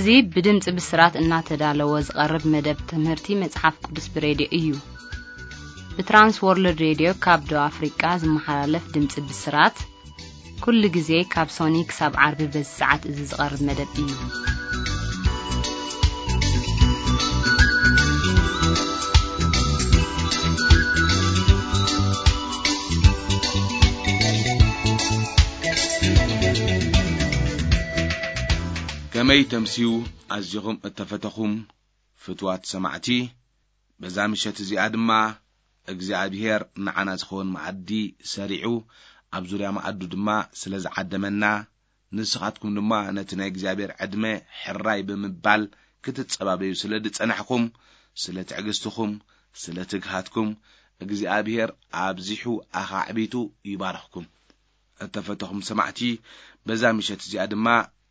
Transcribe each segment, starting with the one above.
እዚ ብድምፂ ብስራት እናተዳለወ ዝቐርብ መደብ ትምህርቲ መጽሓፍ ቅዱስ ብሬድዮ እዩ። ብትራንስ ወርልድ ሬድዮ ካብ ደቡብ ኣፍሪቃ ዝመሓላለፍ ድምፂ ብስራት፣ ኩሉ ግዜ ካብ ሶኒ ክሳብ ዓርቢ በዚ ሰዓት እዚ ዝቐርብ መደብ እዩ። ከመይ ተምስዩ ኣዚኹም እተፈተኹም ፍትዋት ሰማዕቲ። በዛ ምሸት እዚኣ ድማ እግዚኣብሔር ንዓና ዝኸውን መኣዲ ሰሪዑ፣ ኣብ ዙርያ መኣዱ ድማ ስለ ዝዓደመና፣ ንስኻትኩም ድማ ነቲ ናይ እግዚኣብሔር ዕድመ ሕራይ ብምባል ክትጸባበዩ ስለ ዝጸናሕኩም፣ ስለ ትዕግስትኹም፣ ስለ ትግሃትኩም፣ እግዚኣብሔር ኣብዚሑ ኣኻዕቢቱ ይባርኽኩም። እተፈተኹም ሰማዕቲ፣ በዛ ምሸት እዚኣ ድማ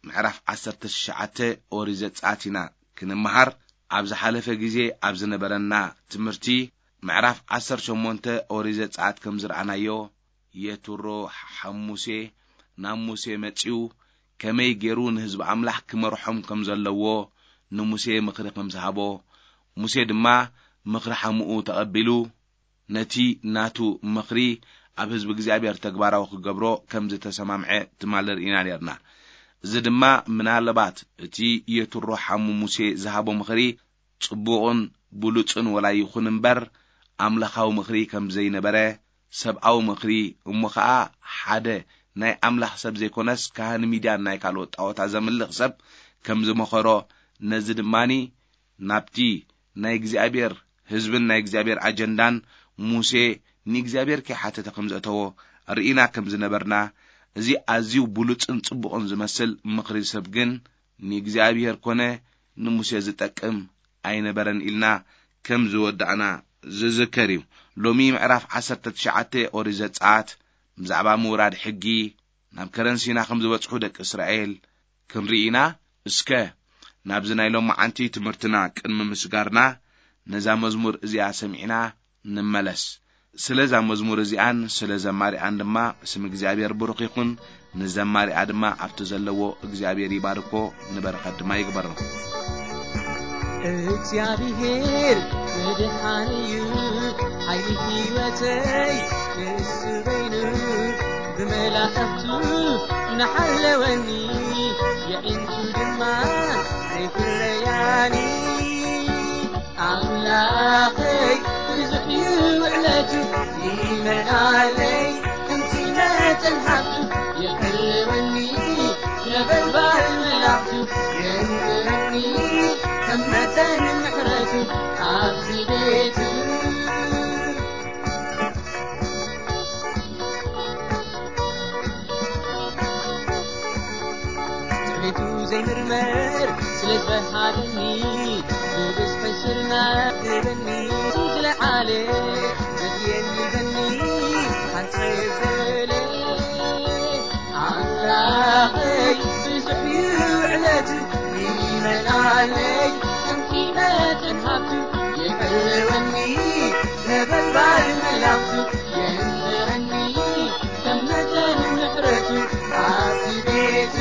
ምዕራፍ ዓሰርተ ትሽዓተ ኦሪት ዘጸኣት ኢና ክንመሃር። ኣብ ዝሓለፈ ግዜ ኣብ ዝነበረና ትምህርቲ፣ ምዕራፍ ዓሰርተ ሸሞንተ ኦሪት ዘጸኣት ከም ዝረኣናዮ፣ የትሮ ሓም ሙሴ ናብ ሙሴ መጺኡ፣ ከመይ ገይሩ ንህዝቢ ኣምላኽ ክመርሖም ከም ዘለዎ ንሙሴ ምኽሪ ከም ዝሃቦ፣ ሙሴ ድማ ምኽሪ ሓሙኡ ተቐቢሉ፣ ነቲ ናቱ ምኽሪ ኣብ ህዝቢ እግዚኣብሔር ተግባራዊ ክገብሮ ከም ዝተሰማምዐ ትማሊ ርኢና ነርና። እዚ ድማ ምናልባት እቲ የትሮ ሓሙ ሙሴ ዝሃቦ ምኽሪ ጽቡቕን ብሉጽን ወላ ይኹን እምበር፣ ኣምላኻዊ ምኽሪ ከም ዘይነበረ፣ ሰብኣዊ ምኽሪ፣ እሞ ኸኣ ሓደ ናይ ኣምላኽ ሰብ ዘይኮነስ ካህን ሚድያን ናይ ካልኦት ጣዖታት ዘምልኽ ሰብ ከም ዝመኸሮ፣ ነዚ ድማኒ ናብቲ ናይ እግዚኣብሔር ህዝብን ናይ እግዚኣብሔር ኣጀንዳን ሙሴ ንእግዚኣብሔር ከይሓተተ ከም ዘእተዎ ርኢና ከም ዝነበርና፣ እዚ ኣዝዩ ብሉጽን ጽቡቕን ዝመስል ምኽሪ ሰብ ግን ንእግዚኣብሔር ኮነ ንሙሴ ዝጠቅም ኣይነበረን ኢልና ከም ዝወዳእና ዝዝከር እዩ። ሎሚ ምዕራፍ ዓሰርተ ትሽዓተ ኦሪት ዘጸኣት ብዛዕባ ምውራድ ሕጊ ናብ ከረን ሲና ከም ዝበጽሑ ደቂ እስራኤል ክንርኢ ኢና። እስከ ናብዚ ናይ ሎማዓንቲ ትምህርትና ቅድሚ ምስጋርና፣ ነዛ መዝሙር እዚኣ ሰሚዕና ንመለስ። ስለዛ መዝሙር እዚኣን ስለ ዘማሪኣን ድማ ስም እግዚኣብሔር ብሩኽ ይኹን። ንዘማሪኣ ድማ ኣብቲ ዘለዎ እግዚኣብሔር ይባርኮ፣ ንበረኸት ድማ ይግበሮ። እግዚኣብሔር መድሓን እዩ፣ ሓይሊ ህይወተይ ንሱ በይኑ፣ ብመላእኽቱ እናሓለወኒ፣ የዒንቱ ድማ ኣይፍለያኒ። ኣምላኸይ ብዙሕ እዩ ውዕለቱ፣ ይመልኣለይ ከምቲ መጠን ሃብቱ፣ ይሕልወኒ ነበልባል መላእኽቱ፣ የንብረኒ ከም መጠን ምሕረቱ ኣብዚ ቤቱ። ትዕቢቱ ዘይምርመር ስለ ዝበሃለኒ፣ ብብዝሒ ስርና ክበኒ፣ ዝለዓለ ዘድልየኒ በኒ ሓንሳብ በለ። ኣምላኸይ ብዙሕ እዩ ውዕለቱ፣ ይመልኣለይ ከምቲ መጠን ሃብቱ፣ ይሕልወኒ ነበልባል መላእኽቱ፣ የንብረኒ ከም መጠን ምሕረቱ ኣብቲ ቤቱ።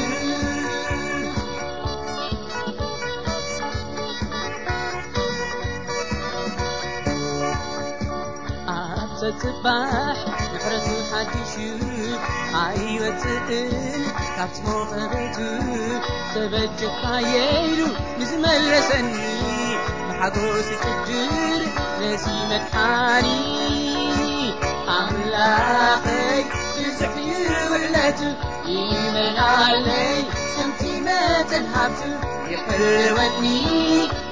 ኣብ ጸጽባሕ ምሕረቱ ሓዲሹ ኣይወጽእን ካብቲ ሞቐ ቤቱ። ተበጀኻየ ኢሉ ንዝመለሰኒ፣ ብሓጎስ ይጭድር ነዚ መድሓኒ። ኣምላኸይ ብዙሕ እዩ ውዕለቱ፣ ይመልኣለይ ከምቲ መጠን ሃብቱ፣ ይሕልወኒ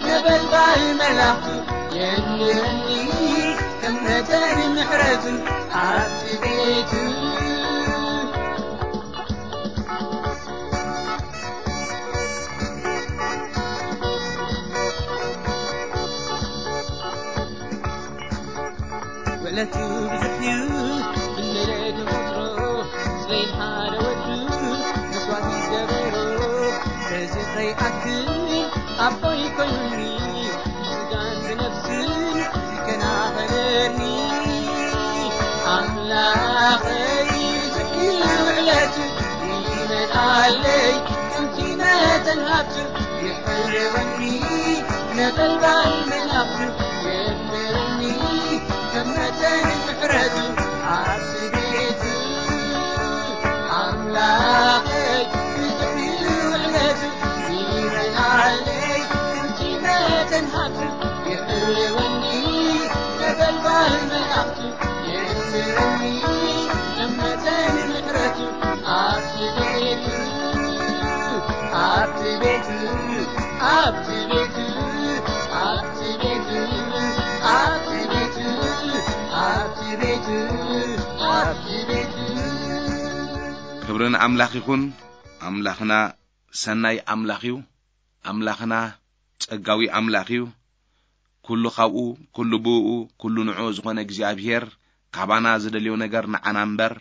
ነበልባል መላእኽቱ፣ የንብረኒ ከም መጠን ምሕረቱ ኣብቲ ቤቱ። ውዕለቱ ብዙሕ እዩ፣ ክንደይ ደጎትሮ፣ ስለይ ሓደ ወዱ መስዋእቲ ዝገበሮ። በዚ ከይኣክል ኣቦይ ኮይኑኒ፣ ብስጋን ብነፍስን ይከናኸነኒ። ኣምላኸይ ብዙሕ እዩ ውዕለቱ፣ ይመልኣለይ ከምቲ መጠን ሃብቱ። ይዕወኒ ነበልባል መላእኽቱ የንብረኒ፣ ከም መጠን ምሕረቱ ኣብቲ ቤቱ። ኣምላኸይ ብዙሕ እዩ ውዕለቱ፣ ይረድኣለይ ከምቲ መጠን ሃብቱ። ይዕወኒ ነበልባል መላእኽቱ የንብረኒ፣ ከም መጠን ምሕረቱ ኣብቲ ቤቱ፣ ኣብቲ ቤቱ፣ ኣብቲ ቤቱ፣ ኣብቲ ቤቱ፣ ኣብቲ ቤቱ፣ ኣብቲ ቤቱ፣ ኣብቲ ቤቱ። ክብሪ ንኣምላኽ ይኹን። ኣምላኽና ሰናይ ኣምላኽ እዩ። ኣምላኽና ጸጋዊ ኣምላኽ እዩ። ኩሉ ካብኡ፣ ኩሉ ብእኡ፣ ኩሉ ንዕኡ ዝኾነ እግዚኣብሄር፣ ካባና ዝደልዮ ነገር ንዓና እምበር፣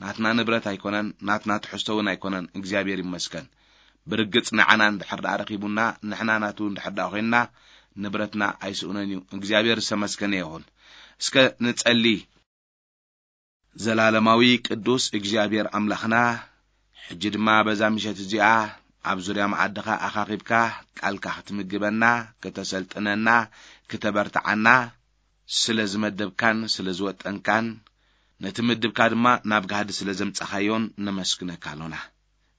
ናትና ንብረት ኣይኮነን፣ ናትና ትሕዝቶ እውን ኣይኮነን። እግዚኣብሔር ይመስገን። ብርግጽ ንዓና እንድሕር ደኣ ረኺቡና፣ ንሕና ናቱ እንድሕር ደኣ ኮይንና፣ ንብረትና ኣይስእኖን እዩ። እግዚኣብሔር ዝተመስገነ ይኹን። እስከ ንጸሊ። ዘላለማዊ ቅዱስ እግዚኣብሔር ኣምላኽና፣ ሕጂ ድማ በዛ ምሸት እዚኣ ኣብ ዙርያ መኣድኻ ኣኻኺብካ ቃልካ ክትምግበና፣ ክተሰልጥነና፣ ክተበርትዓና ስለ ዝመደብካን ስለ ዝወጠንካን፣ ነቲ ምድብካ ድማ ናብ ጋህዲ ስለ ዘምጻኻዮን ነመስግነካ ኣሎና።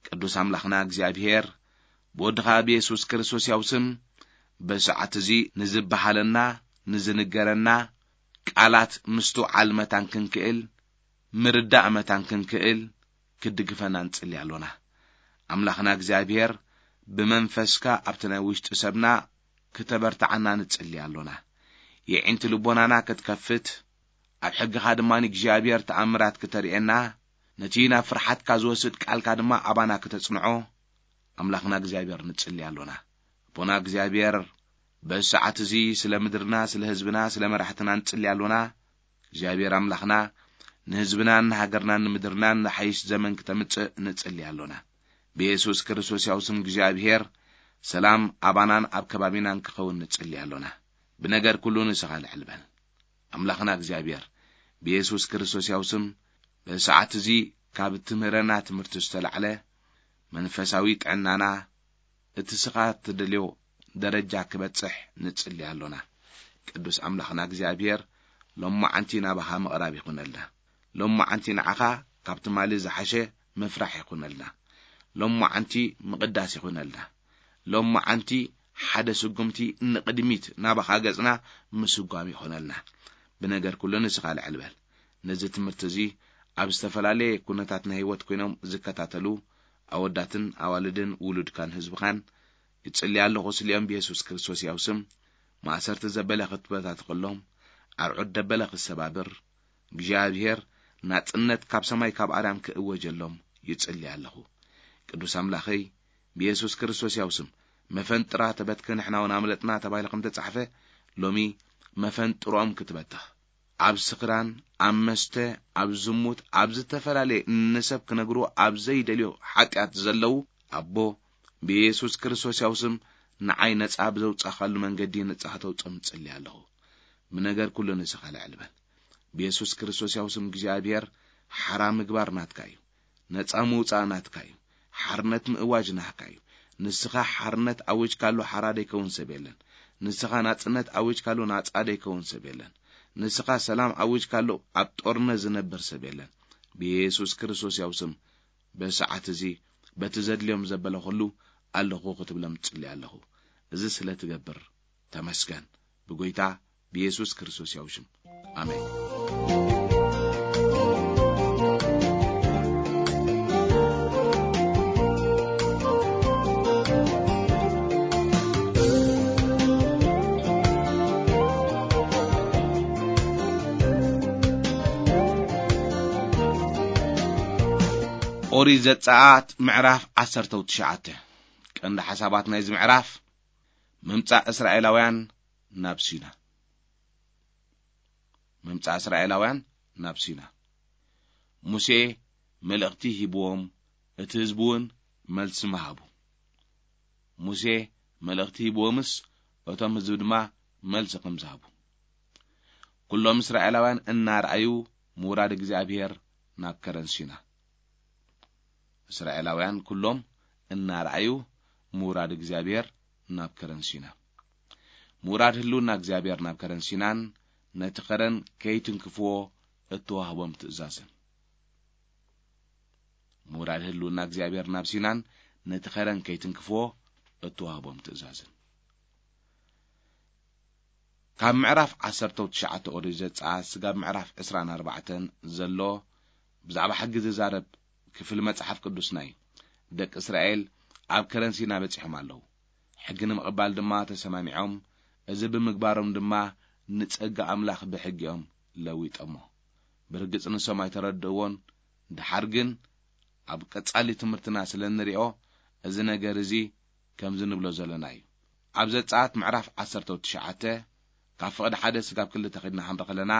ቅዱስ ኣምላኽና እግዚኣብሔር፣ ብወድኻ ብየሱስ ክርስቶስ ያው ስም፣ በሰዓት እዚ ንዝበሃለና፣ ንዝንገረና ቃላት ምስትውዓል መታን ክንክእል፣ ምርዳእ መታን ክንክእል፣ ክትድግፈና ንጽሊ ኣሎና። ኣምላኽና እግዚኣብሔር፣ ብመንፈስካ ኣብቲ ናይ ውሽጢ ሰብና ክተበርትዓና ንጽሊ ኣሎና። የዒንቲ ልቦናና ክትከፍት፣ ኣብ ሕግኻ ድማ እግዚኣብሔር ተኣምራት ክተርእየና፣ ነቲ ናብ ፍርሓትካ ዝወስድ ቃልካ ድማ ኣባና ክተጽንዖ፣ ኣምላኽና እግዚኣብሔር ንጽሊ ኣሎና። ኣቦና እግዚኣብሔር፣ በዚ ሰዓት እዚ ስለ ምድርና፣ ስለ ህዝብና፣ ስለ መራሕትና ንጽሊ ኣሎና። እግዚኣብሔር ኣምላኽና፣ ንህዝብናን ንሃገርናን ንምድርናን ዝሓይሽ ዘመን ክተምጽእ ንጽሊ ኣሎና። ብየሱስ ክርስቶስ ያው ስም እግዚኣብሔር፣ ሰላም ኣባናን ኣብ ከባቢናን ክኸውን ንጽሊ ኣሎና። ብነገር ኩሉ ንስኻ ልዕል በል። ኣምላኽና እግዚኣብሔር፣ ብየሱስ ክርስቶስ ያው ስም፣ በዚ ሰዓት እዚ ካብ እትምህረና ትምህርቲ ዝተላዕለ መንፈሳዊ ጥዕናና፣ እቲ ስኻ እትደልዮ ደረጃ ክበጽሕ ንጽሊ ኣሎና። ቅዱስ ኣምላኽና እግዚኣብሔር፣ ሎማዓንቲ ናባኻ ምቕራብ ይኹነልና። ሎማዓንቲ ንዓኻ ካብ ትማሊ ዝሓሸ ምፍራሕ ይኹነልና። ሎማዓንቲ ምቕዳስ ይኹነልና። ሎማዓንቲ ሓደ ስጉምቲ ንቕድሚት ናባኻ ገጽና ምስጓም ይኹነልና። ብነገር ኩሉ ንስኻ ልዕል በል። ነዚ ትምህርቲ እዚ ኣብ ዝተፈላለየ ኩነታት ናይ ህይወት ኮይኖም ዝከታተሉ ኣወዳትን ኣዋልድን ውሉድካን ህዝብኻን ይጽሊ ኣለኹ። ስሊኦም ብየሱስ ክርስቶስ ያው ስም ማእሰርቲ ዘበለ ክትበታትኸሎም፣ ኣርዑት ደበለ ክሰባብር፣ እግዚኣብሔር ናጽነት ካብ ሰማይ ካብ ኣርያም ክእወጀሎም ይጽሊ ኣለኹ። ቅዱስ ኣምላኸይ፣ ብየሱስ ክርስቶስ ያው ስም መፈንጥራ ተበትከ ንሕና እውን ኣምለጥና ተባሂሉ ከም ተጻሕፈ፣ ሎሚ መፈንጥሮኦም ክትበትኽ፣ ኣብ ስኽራን፣ ኣብ መስተ፣ ኣብ ዝሙት፣ ኣብ ዝተፈላለየ ንሰብ ክነግርዎ ኣብ ዘይደልዮ ሓጢኣት ዘለዉ፣ ኣቦ፣ ብየሱስ ክርስቶስ ያው ስም ንዓይ ነጻ ብዘውጻኻሉ መንገዲ ነጻ ከተውጾም እጽሊ ኣለኹ። ብነገር ኩሉ ንስኻ ልዕል በል። ብየሱስ ክርስቶስ ያው ስም እግዚኣብሔር ሓራ ምግባር ናትካ እዩ። ነጻ ምውጻእ ናትካ እዩ። ሓርነት ምእዋጅ ናትካ እዩ። ንስኻ ሓርነት ኣዊጅካሉ ሓራ ደይከውን ሰብ የለን። ንስኻ ናጽነት ኣዊጅካሉ ናጻ ደይከውን ሰብ የለን። ንስኻ ሰላም ኣዊጅካሉ ኣብ ጦርነት ዝነብር ሰብ የለን። ብየሱስ ክርስቶስ ያው ስም በሰዓት እዚ በቲ ዘድልዮም ዘበለ ኩሉ ኣለኹ ክትብሎም እጽሊ ኣለኹ። እዚ ስለ ትገብር ተመስገን። ብጎይታ ብየሱስ ክርስቶስ ያው ሽም። ኣሜን። ኦሪት ዘጸኣት ምዕራፍ ዓሰርተ ትሽዓተ። ቀንዲ ሓሳባት ናይዚ ምዕራፍ፣ ምምጻእ እስራኤላውያን ናብ ሲና። ምምጻእ እስራኤላውያን ናብ ሲና። ሙሴ መልእኽቲ ሂብዎም፣ እቲ ህዝቢ እውን መልሲ ምሃቡ። ሙሴ መልእኽቲ ሂብዎምስ፣ እቶም ህዝቢ ድማ መልሲ ከም ዝሃቡ። ኩሎም እስራኤላውያን እናረኣዩ ምውራድ እግዚኣብሔር ናብ ከረን ሲና። እስራኤላውያን ኩሎም እናረኣዩ ምውራድ እግዚኣብሔር ናብ ከረን ሲና። ምውራድ ህልውና እግዚኣብሔር ናብ ከረን ሲናን ነቲ ከረን ከይትንክፍዎ እተዋህቦም ትእዛዝን። ምውራድ ህልውና እግዚኣብሔር ናብ ሲናን ነቲ ከረን ከይትንክፍዎ እተዋህቦም ትእዛዝን። ካብ ምዕራፍ ዓሰርተ ትሽዓተ ኦሪት ዘጸኣት ስጋብ ምዕራፍ ዕስራን ኣርባዕተን ዘሎ ብዛዕባ ሕጊ ዝዛረብ ክፍሊ መጽሓፍ ቅዱስና እዩ። ደቂ እስራኤል ኣብ ከረን ሲና በጺሖም ኣለዉ። ሕጊ ንምቕባል ድማ ተሰማሚዖም፣ እዚ ብምግባሮም ድማ ንጸጋ ኣምላኽ ብሕጊኦም ለዊጦሞ። ብርግጽ ንሶም ኣይተረድእዎን። ደሓር ግን ኣብ ቀጻሊ ትምህርትና ስለ እንሪኦ፣ እዚ ነገር እዚ ከምዚ ንብሎ ዘለና እዩ። ኣብ ዘጸኣት ምዕራፍ ዓሰርተ ትሽዓተ ካብ ፍቕዲ ሓደ ስጋብ ክልተ ኸድና ክንርኢ ከለና፣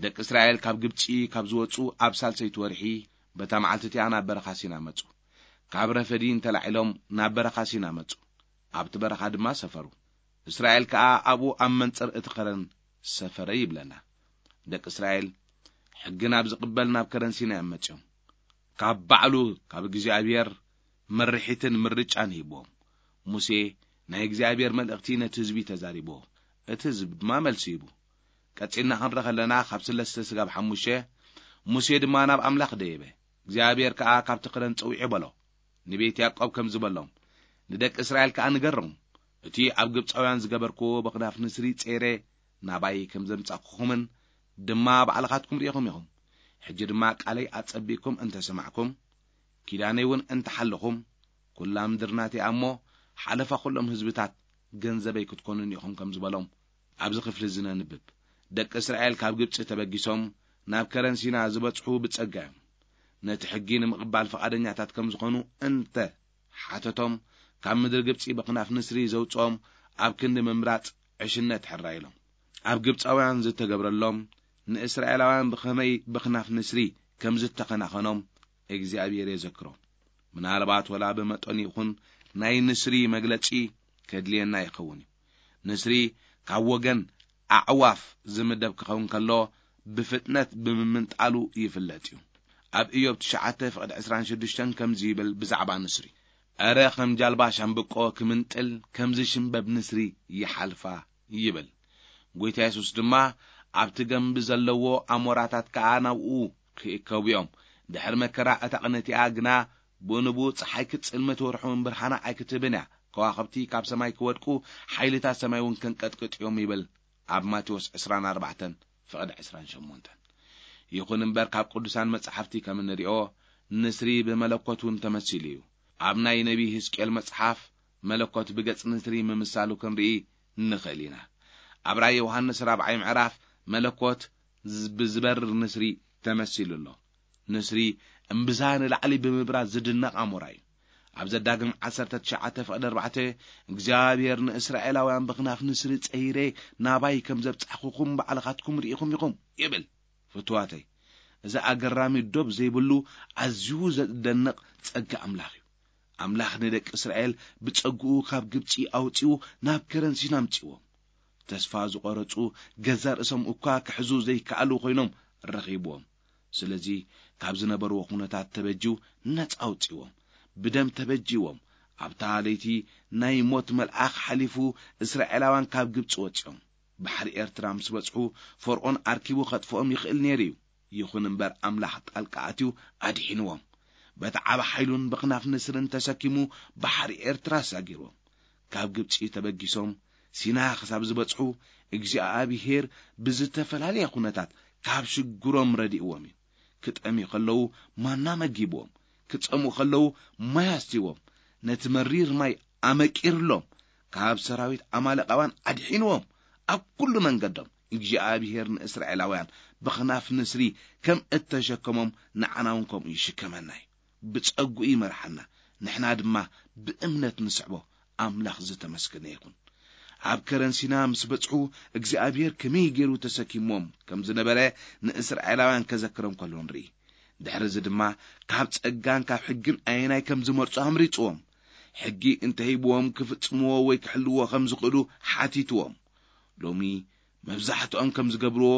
ደቂ እስራኤል ካብ ግብጺ ካብ ዝወጹ ኣብ ሳልሰይቲ ወርሒ በታ መዓልቲ እቲኣ ናብ በረኻ ሲና መጹ። ካብ ረፈዲን ተላዒሎም ናብ በረኻ ሲና መጹ። ኣብቲ በረኻ ድማ ሰፈሩ። እስራኤል ከኣ ኣብኡ ኣብ መንጽር እቲ ከረን ሰፈረ ይብለና። ደቂ እስራኤል ሕጊ ናብ ዝቕበል ናብ ከረን ሲና እዮም መጺኦም። ካብ ባዕሉ ካብ እግዚኣብሔር ምርሒትን ምርጫን ሂብዎም። ሙሴ ናይ እግዚኣብሔር መልእኽቲ ነቲ ህዝቢ ተዛሪብዎ። እቲ ህዝቢ ድማ መልሲ ሂቡ። ቀጺልና ክንረ ከለና ካብ ስለስተ ስጋብ ሓሙሽተ፣ ሙሴ ድማ ናብ ኣምላኽ ደየበ። እግዚኣብሔር ከኣ ካብቲ ክረን ጸዊዑ በሎ፣ ንቤት ያዕቆብ ከምዚ በሎም፣ ንደቂ እስራኤል ከኣ ንገሮም፣ እቲ ኣብ ግብጻውያን ዝገበርክዎ በኽናፍ ንስሪ ጸይረ ናባይ ከም ዘምጻእኩኹምን ድማ ባዕልኻትኩም ርኢኹም ኢኹም። ሕጂ ድማ ቃለይ ኣጸቢቕኩም እንተ ሰማዕኩም፣ ኪዳነይ እውን እንተ ሓለኹም፣ ኩላ ምድሪ ናተይ እያ እሞ፣ ሓለፋ ኩሎም ህዝብታት ገንዘበይ ክትኮኑኒ ኢኹም ከም ዝበሎም ኣብዚ ክፍሊ እዚ ነንብብ። ደቂ እስራኤል ካብ ግብጺ ተበጊሶም ናብ ከረን ሲና ዝበጽሑ ብጸጋ እዮም። ነቲ ሕጊ ንምቕባል ፍቓደኛታት ከም ዝኾኑ እንተ ሓተቶም፣ ካብ ምድሪ ግብጺ በኽናፍ ንስሪ ዘውጽኦም ኣብ ክንዲ ምምራጽ ዕሽነት ሕራይ ኢሎም። ኣብ ግብጻውያን ዝተገብረሎም ንእስራኤላውያን ብኸመይ በኽናፍ ንስሪ ከም ዝተኸናኸኖም እግዚኣብሔር የዘክሮ። ምናልባት ወላ ብመጠኑ ይኹን ናይ ንስሪ መግለጺ ከድልየና ይኸውን እዩ። ንስሪ ካብ ወገን ኣዕዋፍ ዝምደብ ክኸውን ከሎ ብፍጥነት ብምምንጣሉ ይፍለጥ እዩ። ኣብ ኢዮብ ትሽዓተ ፍቕዲ ዕስራን ሽዱሽተን ከምዚ ይብል ብዛዕባ ንስሪ፣ "እረ ከም ጃልባ ሻምብቆ ክምንጥል ከምዚ ሽምበብ ንስሪ ይሓልፋ" ይብል። ጎይታ የሱስ ድማ፣ "ኣብቲ ገምቢ ዘለዎ ኣሞራታት ከኣ ናብኡ ክእከቡ እዮም። ድሕሪ መከራ እታ ቅንእቲኣ ግና ብኡ ንብኡ ጸሓይ ክትጽልምት ወርሒ እውን ብርሃና ኣይክትህብን እያ። ከዋኽብቲ ካብ ሰማይ ክወድቁ፣ ሓይልታት ሰማይ እውን ከንቀጥቅጥ እዮም" ይብል ኣብ ማቴዎስ ዕስራን ኣርባዕተን ፍቕዲ ዕስራን ሸሞንተን። ይኹን እምበር ካብ ቅዱሳን መጻሕፍቲ ከም እንሪኦ ንስሪ ብመለኮት እውን ተመሲሉ እዩ። ኣብ ናይ ነቢይ ህዝቅኤል መጽሓፍ መለኮት ብገጽ ንስሪ ምምሳሉ ክንርኢ ንኽእል ኢና። ኣብ ራእይ ዮሃንስ ራብዓይ ምዕራፍ መለኮት ዝ-፣ ብዝበርር ንስሪ ተመሲሉ ኣሎ። ንስሪ እምብዛ ንላዕሊ ብምብራር ዝድነቕ ኣሞራ እዩ። ኣብ ዘዳግም ዓሰርተ ትሽዓተ ፍቕዲ ኣርባዕተ፣ "እግዚኣብሔር ንእስራኤላውያን ብኽናፍ ንስሪ ጸይረ ናባይ ከም ዘብጻሕኩኹም ባዕልኻትኩም ርኢኹም ኢኹም" ይብል። ፍቱዋተይ፣ እዚ ኣገራሚ ዶብ ዘይብሉ ኣዝዩ ዘደንቕ ጸጋ ኣምላኽ እዩ። ኣምላኽ ንደቂ እስራኤል ብጸግኡ ካብ ግብጺ ኣውጺኡ ናብ ከረን ሲና ኣምጺእዎም። ተስፋ ዝቖረጹ ገዛ ርእሶም እኳ ክሕዙ ዘይከኣሉ ኮይኖም ረኺብዎም። ስለዚ ካብ ዝነበርዎ ኩነታት ተበጅዩ ነጻ ኣውጺእዎም። ብደም ተበጅዎም። ኣብታ ለይቲ ናይ ሞት መልኣኽ ሓሊፉ እስራኤላውያን ካብ ግብጺ ወጺኦም። ባሕሪ ኤርትራ ምስ በጽሑ ፈርዖን ኣርኪቡ ከጥፍኦም ይኽእል ነይሩ እዩ። ይኹን እምበር ኣምላኽ ጣልቃ ኣትዩ ኣድሒንዎም። በቲ ዓቢ ሓይሉን በኽናፍ ንስርን ተሰኪሙ ባሕሪ ኤርትራ ኣሳጊርዎም። ካብ ግብጺ ተበጊሶም ሲና ክሳብ ዝበጽሑ እግዚኣብሔር ብዝተፈላለየ ኩነታት ካብ ሽግሮም ረዲእዎም እዩ። ክጠምዩ ከለዉ ማና መጊብዎም፣ ክጸምኡ ከለዉ ማይ ኣስትይዎም፣ ነቲ መሪር ማይ ኣመቂርሎም፣ ካብ ሰራዊት ኣማሌቃውያን ኣድሒንዎም። ኣብ ኩሉ መንገዶም እግዚኣብሔር ንእስራኤላውያን ብኽናፍ ንስሪ ከም እተሸከሞም ንዓና እውን ከምኡ ይሽከመና እዩ። ብጸግኡ ይመርሓና፣ ንሕና ድማ ብእምነት ንስዕቦ። ኣምላኽ ዝተመስገነ ይኹን። ኣብ ከረን ሲና ምስ በጽሑ እግዚኣብሔር ከመይ ገይሩ ተሰኪሞም ከም ዝነበረ ንእስራኤላውያን ከዘክሮም ከሎ ንርኢ። ድሕሪ እዚ ድማ ካብ ጸጋን ካብ ሕግን ኣየናይ ከም ዝመርጹ ኣምሪጽዎም። ሕጊ እንተሂብዎም ክፍጽምዎ ወይ ክሕልዎ ከም ዝኽእሉ ሓቲትዎም። ሎሚ መብዛሕትኦም ከም ዝገብርዎ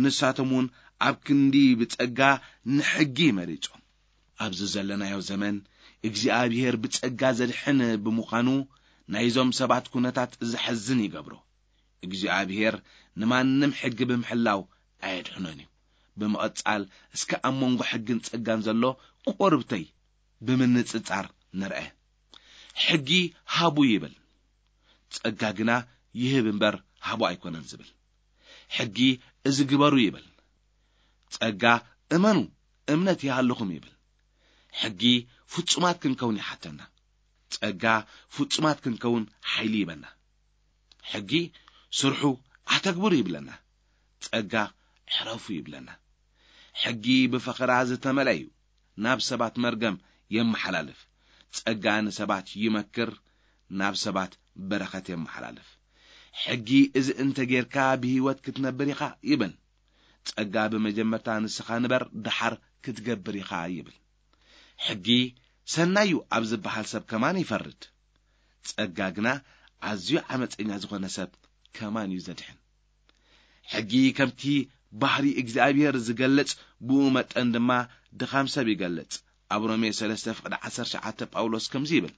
ንሳቶም እውን ኣብ ክንዲ ብጸጋ ንሕጊ መሪጾም። ኣብዚ ዘለናዮ ዘመን እግዚኣብሔር ብጸጋ ዘድሕን ብምዃኑ ናይዞም ሰባት ኩነታት ዘሐዝን ይገብሮ። እግዚኣብሔር ንማንም ሕጊ ብምሕላው ኣየድሕኖን እዩ። ብምቕጻል፣ እስከ ኣብ መንጎ ሕግን ጸጋን ዘሎ ቁርብተይ ብምንጽጻር ንርአ። ሕጊ ሃቡ ይብል፣ ጸጋ ግና ይህብ እምበር ሃቡ ኣይኮነን ዝብል። ሕጊ እዚ ግበሩ ይብል፣ ጸጋ እመኑ፣ እምነት ይሃልኹም ይብል። ሕጊ ፍጹማት ክንከውን ይሓተና፣ ጸጋ ፍጹማት ክንከውን ሓይሊ ይበና። ሕጊ ስርሑ ኣተግብሩ ይብለና፣ ጸጋ ዕረፉ ይብለና። ሕጊ ብፈኸራ ዝተመልአ እዩ፣ ናብ ሰባት መርገም የመሓላልፍ። ጸጋ ንሰባት ይመክር፣ ናብ ሰባት በረኸት የመሓላልፍ። ሕጊ እዚ እንተ ጌርካ ብህይወት ክትነብር ኢኻ ይብል። ጸጋ ብመጀመርታ ንስኻ ንበር፣ ደሓር ክትገብር ኢኻ ይብል። ሕጊ ሰናዩ ኣብ ዝበሃል ሰብ ከማን ይፈርድ። ጸጋ ግና ኣዝዩ ዓመፀኛ ዝኾነ ሰብ ከማን እዩ ዘድሕን። ሕጊ ከምቲ ባህሪ እግዚኣብሔር ዝገልጽ፣ ብኡ መጠን ድማ ድኻም ሰብ ይገልጽ። ኣብ ሮሜ ሰለስተ ፍቕዲ ዓሰርተ ትሽዓተ ጳውሎስ ከምዚ ይብል፣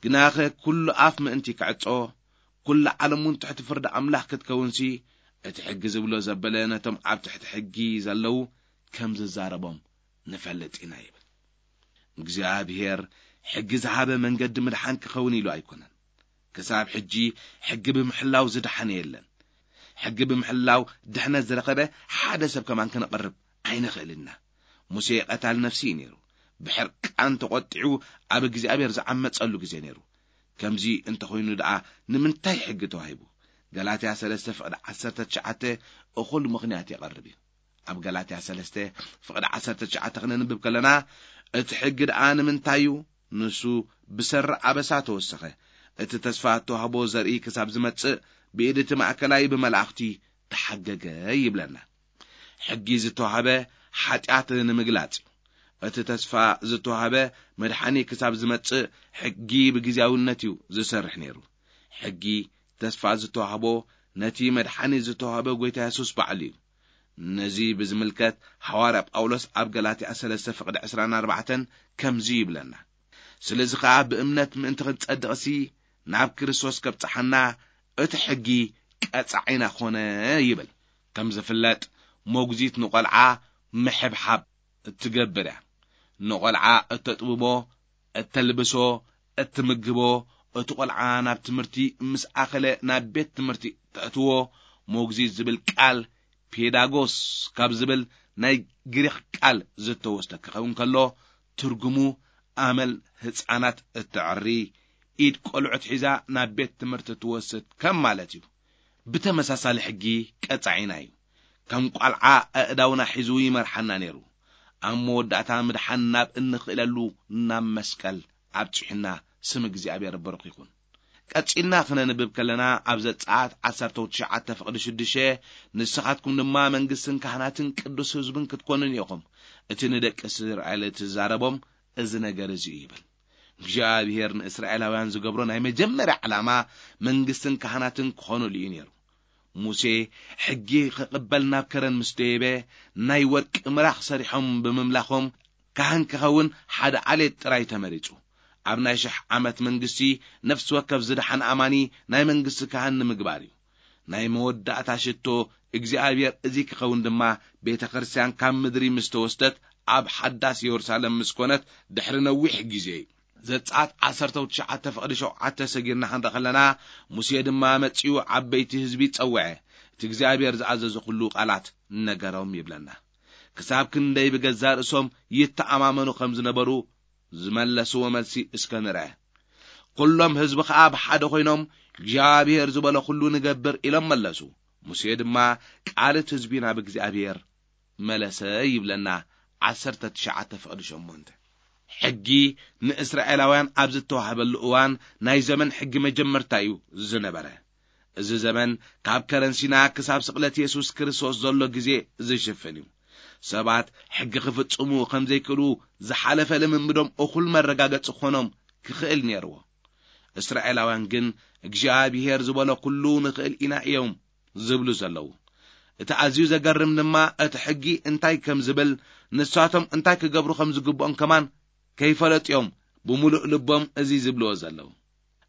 ግናኸ ኩሉ ኣፍ ምእንቲ ክዕጾ፣ ኩሉ ዓለም እውን ትሕቲ ፍርዲ ኣምላኽ ክትከውንሲ፣ እቲ ሕጊ ዝብሎ ዘበለ ነቶም ኣብ ትሕቲ ሕጊ ዘለዉ ከም ዝዛረቦም ንፈልጥ ኢና ይብል። እግዚኣብሔር ሕጊ ዝሃበ መንገዲ ምድሓን ክኸውን ኢሉ ኣይኮነን። ክሳብ ሕጂ ሕጊ ብምሕላው ዝደሓነ የለን። ሕጊ ብምሕላው ድሕነት ዝረኸበ ሓደ ሰብ ከማን ከነቕርብ ኣይንኽእልና። ሙሴ ቀታል ነፍሲ እዩ ነይሩ። ብሕርቃን ተቖጢዑ ኣብ እግዚኣብሔር ዝዓመጸሉ ግዜ ነይሩ። ከምዚ እንተኾይኑ ደኣ ንምንታይ ሕጊ ተዋሂቡ? ገላትያ ሰለስተ ፍቕዲ ዓሰርተ ትሽዓተ እኹል ምኽንያት የቐርብ እዩ። ኣብ ገላትያ ሰለስተ ፍቕዲ ዓሰርተ ትሽዓተ ክነንብብ ከለና፣ እቲ ሕጊ ደኣ ንምንታይ እዩ? ንሱ ብሰሪ ኣበሳ ተወሰኸ። እቲ ተስፋ እተዋህቦ ዘርኢ ክሳብ ዝመጽእ ብኢድ እቲ ማእከላይ ብመላእኽቲ ተሓገገ ይብለና። ሕጊ ዝተዋህበ ሓጢኣት ንምግላጽ እዩ። እቲ ተስፋ ዝተዋህበ መድሓኒ ክሳብ ዝመጽእ ሕጊ ብግዜያውነት እዩ ዝሰርሕ ነይሩ። ሕጊ ተስፋ ዝተዋህቦ ነቲ መድሓኒ ዝተዋህበ ጎይታ የሱስ ባዕሉ እዩ። ነዚ ብዝምልከት ሃዋርያ ጳውሎስ ኣብ ገላትያ ሰለስተ ፍቕዲ ዕስራን ኣርባዕተን ከምዚ ይብለና፣ ስለዚ ኸኣ ብእምነት ምእንቲ ክንጸድቕሲ ናብ ክርስቶስ ከብጽሓና እቲ ሕጊ ቀጻዒና ኾነ ይብል። ከም ዝፍለጥ መጉዚት ንቖልዓ ምሕብሓብ እትገብር እያ። ንቖልዓ እተጥብቦ፣ እተልብሶ፣ እትምግቦ፣ እቲ ቖልዓ ናብ ትምህርቲ ምስ ኣኸለ ናብ ቤት ትምህርቲ ተእትዎ። መጉዚት ዝብል ቃል ፔዳጎስ ካብ ዝብል ናይ ግሪኽ ቃል ዝተወስደ ክኸውን ከሎ፣ ትርጉሙ ኣመል ህፃናት እተዕሪ፣ ኢድ ቆልዑት ሒዛ ናብ ቤት ትምህርቲ ትወስድ ከም ማለት እዩ። ብተመሳሳሊ ሕጊ ቀጻዒና እዩ። ከም ቋልዓ ኣእዳውና ሒዙ ይመርሓና ነይሩ። ኣብ መወዳእታ ምድሓን ናብ እንኽእለሉ ናብ መስቀል ኣብጺሑና። ስም እግዚኣብሔር ብሩኽ ይኹን። ቀጺልና ክነንብብ ከለና ኣብ ዘጸኣት ዓሰርተ ትሽዓተ ፍቕዲ ሽዱሽተ፣ ንስኻትኩም ድማ መንግስትን ካህናትን ቅዱስ ህዝብን ክትኮኑን ኢኹም። እቲ ንደቂ እስራኤል እትዛረቦም እዚ ነገር እዚ እዩ ይብል። እግዚኣብሔር ንእስራኤላውያን ዝገብሮ ናይ መጀመርያ ዕላማ መንግስትን ካህናትን ክኾኑሉ እዩ ነይሩ። ሙሴ ሕጊ ክቕበል ናብ ከረን ምስ ደየበ፣ ናይ ወርቂ ምራኽ ሰሪሖም ብምምላኾም፣ ካህን ክኸውን ሓደ ዓሌት ጥራይ ተመሪጹ። ኣብ ናይ ሽሕ ዓመት መንግስቲ፣ ነፍሲ ወከፍ ዝደሓን ኣማኒ ናይ መንግስቲ ካህን ንምግባር እዩ። ናይ መወዳእታ ሽቶ እግዚኣብሔር እዚ ክኸውን ድማ፣ ቤተ ክርስቲያን ካብ ምድሪ ምስ ተወስደት፣ ኣብ ሓዳስ የሩሳሌም ምስ ኮነት ድሕሪ ነዊሕ ግዜ እዩ። ዘጸኣት ዓሰርተ ትሽዓተ ፍቕዲ ሸውዓተ ሰጊርና ክንርኢ ከለና፣ ሙሴ ድማ መጺኡ ዓበይቲ ህዝቢ ጸውዐ፣ እቲ እግዚኣብሔር ዝኣዘዞ ኩሉ ቃላት ነገሮም ይብለና። ክሳብ ክንደይ ብገዛእ ርእሶም ይተኣማመኑ ከም ዝነበሩ ዝመለስዎ መልሲ እስከ ንርአ። ኩሎም ህዝቢ ኸኣ ብሓደ ኾይኖም፣ እግዚኣብሔር ዝበሎ ኩሉ ንገብር ኢሎም መለሱ። ሙሴ ድማ ቃል እቲ ህዝቢ ናብ እግዚኣብሔር መለሰ ይብለና። ዓሰርተ ትሽዓተ ፍቕዲ ሸሞንተ። ሕጊ ንእስራኤላውያን ኣብ ዝተዋህበሉ እዋን ናይ ዘመን ሕጊ መጀመርታ እዩ ዝነበረ። እዚ ዘመን ካብ ከረን ሲና ክሳብ ስቕለት የሱስ ክርስቶስ ዘሎ ግዜ ዝሽፍን እዩ። ሰባት ሕጊ ክፍጽሙ ከም ዘይክእሉ ዝሓለፈ ልምምዶም እኹል መረጋገጺ ክኾኖም ክኽእል ነይርዎ። እስራኤላውያን ግን እግዚኣብሔር ዝበሎ ኩሉ ንኽእል ኢና እዮም ዝብሉ ዘለዉ። እቲ ኣዝዩ ዘገርም ድማ እቲ ሕጊ እንታይ ከም ዝብል፣ ንሳቶም እንታይ ክገብሩ ከም ዝግብኦም ከማን ከይፈለጡ እዮም ብምሉእ ልቦም እዚ ዝብልዎ ዘለዉ።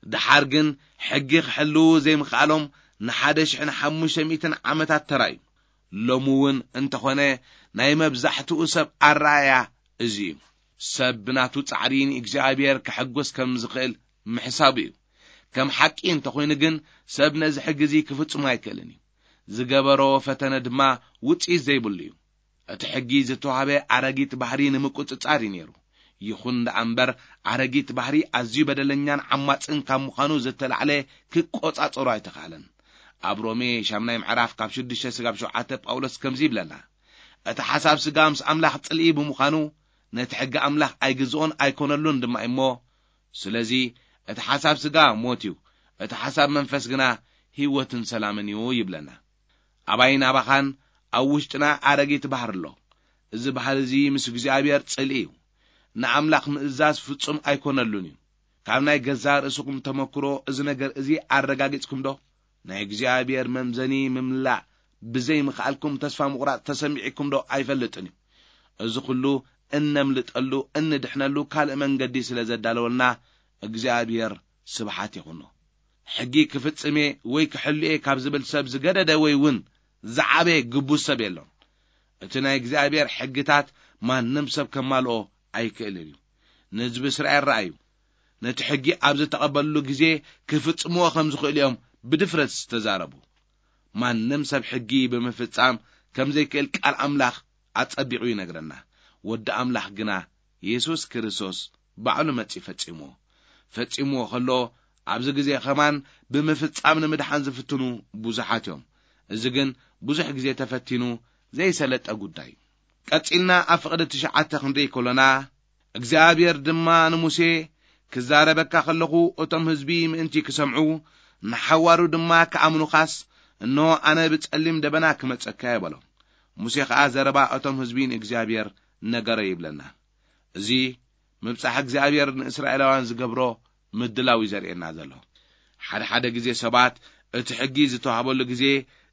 ደሓር ግን ሕጊ ክሕልዉ ዘይምኽኣሎም ንሓደ ሽሕን ሓሙሽተ ሚእትን ዓመታት ተራእዩ። ሎሚ እውን እንተኾነ ናይ መብዛሕትኡ ሰብ ኣረኣእያ እዚ እዩ። ሰብ ብናቱ ጻዕሪ ንእግዚኣብሔር ከሐጉስ ከም ዝኽእል ምሕሳቡ እዩ። ከም ሓቂ እንተኾይኑ ግን ሰብ ነዚ ሕጊ እዚ ክፍጽሞ ኣይክእልን እዩ። ዝገበሮ ፈተነ ድማ ውጽኢት ዘይብሉ እዩ። እቲ ሕጊ ዝተዋህበ ኣረጊት ባህሪ ንምቁጽጻር እዩ ነይሩ። ይኹን ደኣ እምበር ኣረጊት ባህሪ ኣዝዩ በደለኛን ዓማጽን ካብ ምዃኑ ዝተላዕለ ክቆጻጸሮ ኣይተኻእለን። ኣብ ሮሜ ሻምናይ ምዕራፍ ካብ ሽዱሽተ ስጋብ ሸውዓተ ጳውሎስ ከምዚ ይብለና፣ እቲ ሓሳብ ስጋ ምስ ኣምላኽ ጽልኢ ብምዃኑ ነቲ ሕጊ ኣምላኽ ኣይግዝኦን ኣይኮነሉን ድማ እሞ፣ ስለዚ እቲ ሓሳብ ስጋ ሞት እዩ፣ እቲ ሓሳብ መንፈስ ግና ህይወትን ሰላምን እዩ ይብለና። ኣባይን ኣባኻን ኣብ ውሽጥና ኣረጊት ባህሪ ኣሎ። እዚ ባህሪ እዚ ምስ እግዚኣብሔር ጽልኢ እዩ። ንኣምላኽ ምእዛዝ ፍጹም ኣይኮነሉን እዩ። ካብ ናይ ገዛእ ርእስኹም ተመክሮ እዚ ነገር እዚ ኣረጋጊጽኩም ዶ? ናይ እግዚኣብሔር መምዘኒ ምምላእ ብዘይ ምኽኣልኩም ተስፋ ምቑራጽ ተሰሚዕኩም ዶ ኣይፈልጥን እዩ? እዚ ኹሉ እነምልጠሉ፣ እንድሕነሉ ካልእ መንገዲ ስለ ዘዳለወልና እግዚኣብሔር ስብሓት ይኹኖ። ሕጊ ክፍጽም እየ ወይ ክሕሉ እየ ካብ ዝብል ሰብ ዝገደደ ወይ እውን ዝዓበየ ግቡዝ ሰብ የሎን። እቲ ናይ እግዚኣብሔር ሕግታት ማንም ሰብ ከማልኦ ኣይክእልን እዩ። ንህዝቢ እስራኤል ረኣዩ። ነቲ ሕጊ ኣብ ዝተቐበልሉ ግዜ ክፍጽምዎ ከም ዝኽእሉ እዮም ብድፍረት ዝተዛረቡ። ማንም ሰብ ሕጊ ብምፍጻም ከም ዘይክእል ቃል ኣምላኽ ኣጸቢቑ ይነግረና። ወዲ ኣምላኽ ግና የሱስ ክርስቶስ ባዕሉ መጺኡ ፈጺምዎ። ፈጺምዎ ከሎ ኣብዚ ግዜ ኸማን ብምፍጻም ንምድሓን ዝፍትኑ ብዙሓት እዮም። እዚ ግን ብዙሕ ግዜ ተፈቲኑ ዘይሰለጠ ጉዳይ እዩ። ቀጺልና ኣብ ፍቕዲ ትሽዓተ ክንርኢ ከሎና፣ እግዚኣብሔር ድማ ንሙሴ፣ ክዛረበካ ከለኹ እቶም ህዝቢ ምእንቲ ክሰምዑ፣ ንሓዋሩ ድማ ክኣምኑኻስ፣ እንሆ ኣነ ብጸሊም ደበና ክመጸካ እየ በሎ። ሙሴ ኸኣ ዘረባ እቶም ህዝቢ ንእግዚኣብሔር ነገረ ይብለና። እዚ ምብጻሕ እግዚኣብሔር ንእስራኤላውያን ዝገብሮ ምድላው እዩ ዘርእየና ዘሎ። ሓደ ሓደ ግዜ ሰባት እቲ ሕጊ ዝተዋህበሉ ግዜ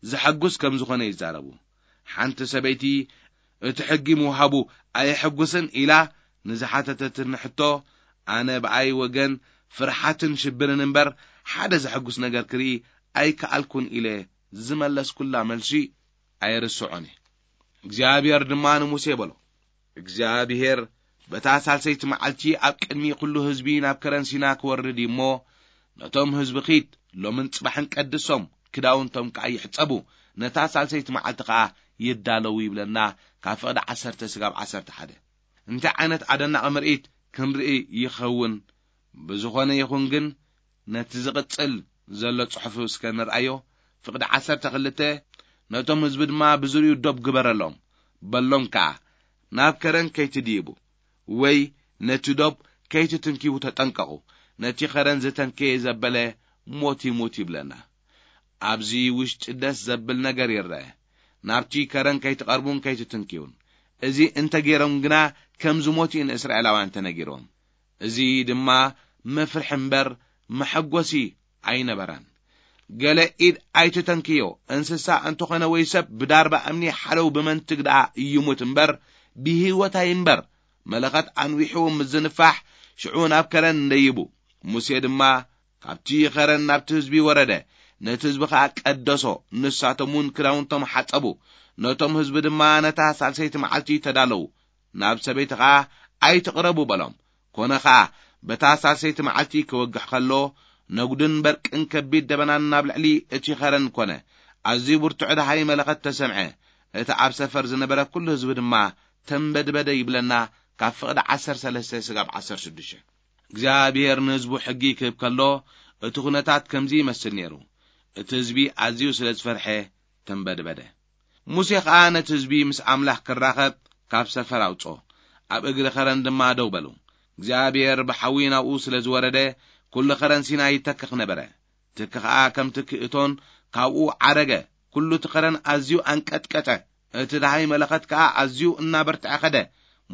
ዘሐጉስ ከም ዝኾነ ይዛረቡ። ሓንቲ ሰበይቲ እቲ ሕጊ ምውሃቡ ኣየሐጉስን ኢላ ንዝሓተተትኒ ሕቶ፣ ኣነ ብኣይ ወገን ፍርሓትን ሽብርን እምበር ሓደ ዘሐጉስ ነገር ክርኢ ኣይከኣልኩን ኢለ ዝመለስኩላ መልሲ ኣይርስዖን እየ። እግዚኣብሔር ድማ ንሙሴ በሎ፣ እግዚኣብሔር በታ ሳልሰይቲ መዓልቲ ኣብ ቅድሚ ኩሉ ህዝቢ ናብ ከረን ሲና ክወርድ እዩ እሞ፣ ነቶም ህዝቢ ኺድ፣ ሎምን ጽባሕን ቀድሶም፣ ክዳውንቶም ከኣ ይሕጸቡ፣ ነታ ሳልሰይቲ መዓልቲ ከኣ ይዳለዉ ይብለና። ካብ ፍቕዲ ዓሰርተ ስጋብ ዓሰርተ ሓደ። እንታይ ዓይነት ኣደናቒ ምርኢት ክንርኢ ይኸውን? ብዝኾነ ይኹን ግን፣ ነቲ ዝቕጽል ዘሎ ጽሑፍ እስከ ንርኣዮ። ፍቕዲ ዓሰርተ ክልተ፣ ነቶም ህዝቢ ድማ ብዙርይኡ ዶብ ግበረሎም፣ በሎም ከኣ፣ ናብ ከረን ከይትድይቡ፣ ወይ ነቲ ዶብ ከይትትንክዩ ተጠንቀቑ፣ ነቲ ከረን ዝተንከየ ዘበለ ሞት ይሙት ይብለና። ኣብዚ ውሽጢ ደስ ዘብል ነገር ይረአ። ናብቲ ከረን ከይትቐርቡን ከይትትንክዩን። እዚ እንተገይሮም ግና ከም ዝሞቱ እዩ ንእስራኤላውያን ተነጊርዎም። እዚ ድማ መፍርሒ እምበር መሐጎሲ ኣይነበረን። ገለ ኢድ ኣይትተንክዮ፣ እንስሳ እንተኾነ ወይ ሰብ ብዳርባ እምኒ ሓለው ብመንትግ ደኣ ይሙት እምበር ብህይወት ኣይንበር። መለኸት ኣንዊሑ ምስ ዝንፋሕ ሽዑ ናብ ከረን እንደይቡ። ሙሴ ድማ ካብቲ ኸረን ናብቲ ህዝቢ ወረደ፣ ነቲ ህዝቢ ኸኣ ቀደሶ። ንሳቶም እውን ክዳውንቶም ሓጸቡ። ነቶም ህዝቢ ድማ ነታ ሳልሰይቲ መዓልቲ ተዳለዉ። ናብ ሰበይቲ ኸኣ ኣይትቕረቡ በሎም። ኮነ ኸኣ በታ ሳልሰይቲ መዓልቲ ክወግሕ ኸሎ ነጉድን በርቅን ከቢድ ደበናን ናብ ልዕሊ እቲ ኸረን ኮነ። ኣዝዩ ብርቱዕ ደሃይ መለኸት ተሰምዐ። እቲ ኣብ ሰፈር ዝነበረ ኩሉ ህዝቢ ድማ ተንበድበደ ይብለና ካብ ፍቕዲ ዓሰርተ ሰለስተ ስጋብ ዓሰርተ ሽዱሽተ። እግዚኣብሔር ንህዝቡ ሕጊ ክህብ ከሎ እቲ ኩነታት ከምዚ ይመስል ነይሩ። እቲ ህዝቢ ኣዝዩ ስለ ዝፈርሐ ተንበድበደ። ሙሴ ኸኣ ነቲ ህዝቢ ምስ ኣምላኽ ክራኸብ ካብ ሰፈር ኣውጽኦ። ኣብ እግሪ ኸረን ድማ ደው በሉ። እግዚኣብሔር ብሓዊ ናብኡ ስለ ዝወረደ ኩሉ ኸረን ሲና ይተክኽ ነበረ። ትኪ ኸኣ ከም ትኪ እቶን ካብኡ ዓረገ። ኩሉ እቲ ኸረን ኣዝዩ ኣንቀጥቀጠ። እቲ ደሃይ መለኸት ከኣ ኣዝዩ እናበርትዐ ኸደ።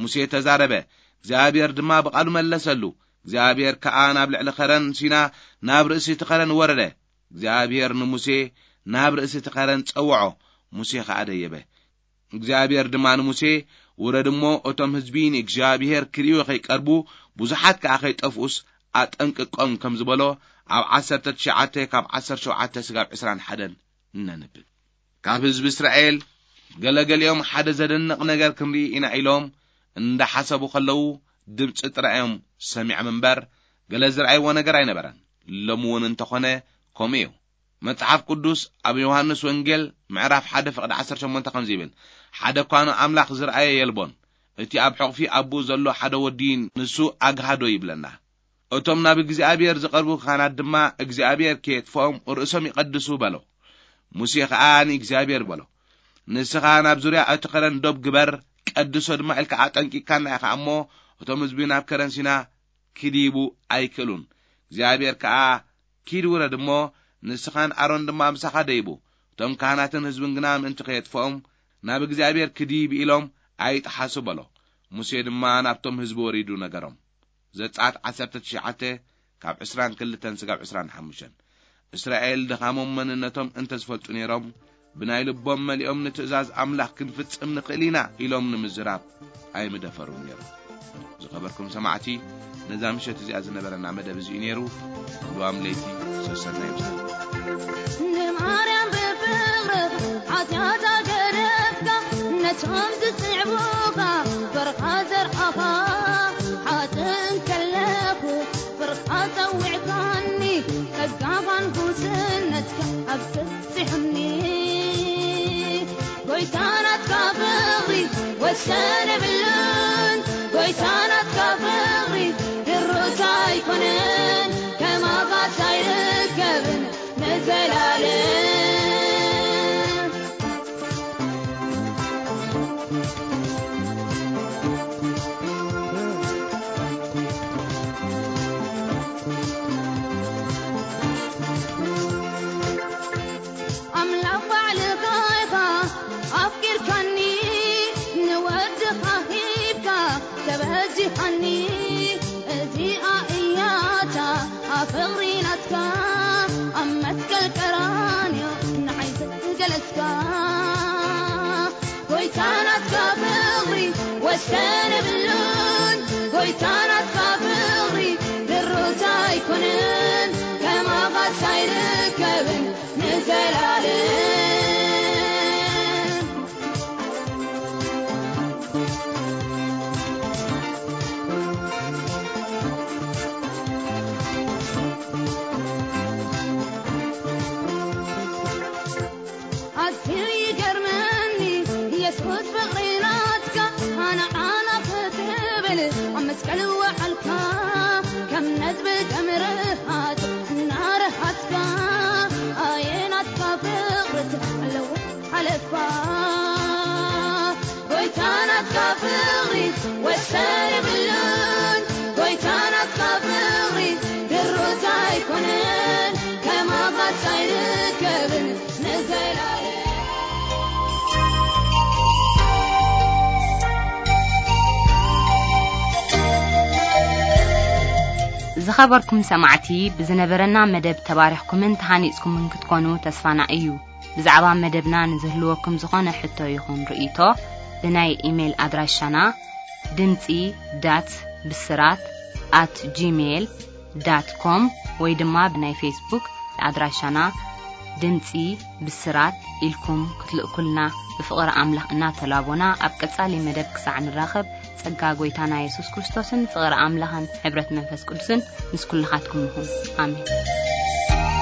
ሙሴ ተዛረበ፣ እግዚኣብሔር ድማ ብቓሉ መለሰሉ። እግዚኣብሔር ከኣ ናብ ልዕሊ ኸረን ሲና ናብ ርእሲ እቲ ኸረን ወረደ። እግዚኣብሔር ንሙሴ ናብ ርእሲ እቲ ኸረን ጸውዖ። ሙሴ ኸኣ ደየበ። እግዚኣብሔር ድማ ንሙሴ፣ ውረድ እሞ እቶም ህዝቢ ንእግዚኣብሔር ክርእዩ ኸይቀርቡ ብዙሓት ከኣ ኸይጠፍኡስ ኣጠንቅቆም ከም ዝበሎ፣ ኣብ ዓሰርተ ትሽዓተ ካብ ዓሰርተ ሸውዓተ ስጋብ ዕስራን ሓደን እነንብብ። ካብ ህዝቢ እስራኤል ገለገሊኦም ሓደ ዘደንቕ ነገር ክንርኢ ኢና ኢሎም እንዳሓሰቡ ከለዉ፣ ድምፂ ጥራይ እዮም ሰሚዖም እምበር፣ ገለ ዝረኣይዎ ነገር ኣይነበረን። ሎሚ እውን እንተኾነ ከምኡ እዩ። መጽሓፍ ቅዱስ ኣብ ዮሃንስ ወንጌል ምዕራፍ ሓደ ፍቕዲ ዓሰርተ ሸሞንተ ከምዚ ይብል፣ "ሓደ እኳ ንኣምላኽ ዝረኣየ የልቦን። እቲ ኣብ ሕቑፊ ኣቦኡ ዘሎ ሓደ ወዲ ንሱ ኣግሃዶ" ይብለና። እቶም ናብ እግዚኣብሔር ዝቐርቡ ካህናት ድማ እግዚኣብሔር ከየጥፍኦም ርእሶም ይቐድሱ በሎ። ሙሴ ኸኣ ንእግዚኣብሔር በሎ፣ "ንስኻ ናብ ዙርያ እቲ ኸረን ዶብ ግበር፣ ቀድሶ ድማ" ኢልካ ኣጠንቂቅካና ኢኻ እሞ፣ እቶም ህዝቢ ናብ ከረን ሲና ክድይቡ ኣይክእሉን። እግዚኣብሔር ከኣ፣ "ኪድ ውረድ እሞ፣ ንስኻን ኣሮን ድማ ምሳኻ ደይቡ፣ እቶም ካህናትን ህዝብን ግና ምእንቲ ከየጥፍኦም፣ ናብ እግዚኣብሔር ክድይብ ኢሎም ኣይጥሓሱ" በሎ። ሙሴ ድማ ናብቶም ህዝቢ ወሪዱ ነገሮም። ዘጸኣት ዓሰርተ ትሽዓተ ካብ ዕስራን ክልተን ስጋብ ዕስራን ሓሙሽተን። እስራኤል ድኻሞም መንነቶም እንተ ዝፈልጡ ነይሮም፣ ብናይ ልቦም መሊኦም ንትእዛዝ ኣምላኽ ክንፍጽም ንኽእል ኢና ኢሎም ንምዝራብ ኣይምደፈሩን ነይሮም። ዝኸበርኩም ሰማዕቲ፣ ነዛ ምሸት እዚኣ ዝነበረና መደብ እዚ እዩ ነይሩ። ልዋም ለይቲ ሰሰና ይብዛል። ንማርያም ብፍቕርኻ ሓጢኣታ ገደፍካ፣ ነቶም ዝስዕቡኻ ፍቕርኻ ዘርኣኻ፣ ሓጥእ እንከለኹ ፍቕርኻ ጸዊዕካኒ፣ ጸጋኻን ጉስነትካ ኣብዚሑኒ። ጎይታ ናትካ ፍቕሪ ወሰን የብሉን፣ ጎይታ ናትካ ፍቕሪ ድሩት ኣይኮነን፣ ከማኻስ ኣይርከብን ንዘላለም። ኣምላኽ ባዕልኻ ኢኻ ኣፍቂርካኒ፣ ንወድኻ ሂብካ ተበዚኻኒ። እዚኣ እያ እታ ፍቕሪ ናትካ፣ ኣብ መስቀል ቀራንዮ ንዓይ ዝገለጽካ። ጎይታ ናትካ ፍቕሪ ወሰን የብሉን፣ ጎይታ ናትካ ፍቕሪ ድሩት ኣይኮነን፣ ከማኻስ ኣይርከብን ንዘላለም። ኣዝዩ ይገርመኒ የሱስ ፍቕሪ ናትካ፣ ኣነ ዓና ክትብል ኣብ መስቀል ወዓልካ። ከም ነጥቢ ደም ርሃጽ እናረሃጽካ፣ ኣየ ናትካ ፍቕሪ ኣለዎ ሓለፋ። ጎይታ ናትካ ፍቕሪ ወሰን የብሉን፣ ጎይታ ናትካ ፍቕሪ ድሩት ኣይኮነን፣ ከማኻስ ኣይርከብን ንዘላለም። ዝኸበርኩም ሰማዕቲ፣ ብዝነበረና መደብ ተባሪኽኩምን ተሃኒጽኩምን ክትኮኑ ተስፋና እዩ። ብዛዕባ መደብና ንዝህልወኩም ዝኾነ ሕቶ ይኹን ርእይቶ፣ ብናይ ኢሜይል ኣድራሻና ድምጺ ዳት ብስራት ኣት ጂሜይል ዳት ኮም ወይ ድማ ብናይ ፌስቡክ ኣድራሻና ድምጺ ብስራት ኢልኩም ክትልእኩልና ብፍቕሪ ኣምላኽ እናተላቦና፣ ኣብ ቀጻሊ መደብ ክሳዕ ንራኸብ፣ ጸጋ ጐይታና የሱስ ክርስቶስን ፍቕሪ ኣምላኽን ሕብረት መንፈስ ቅዱስን ምስ ኩልኻትኩም ይኹን። ኣሜን።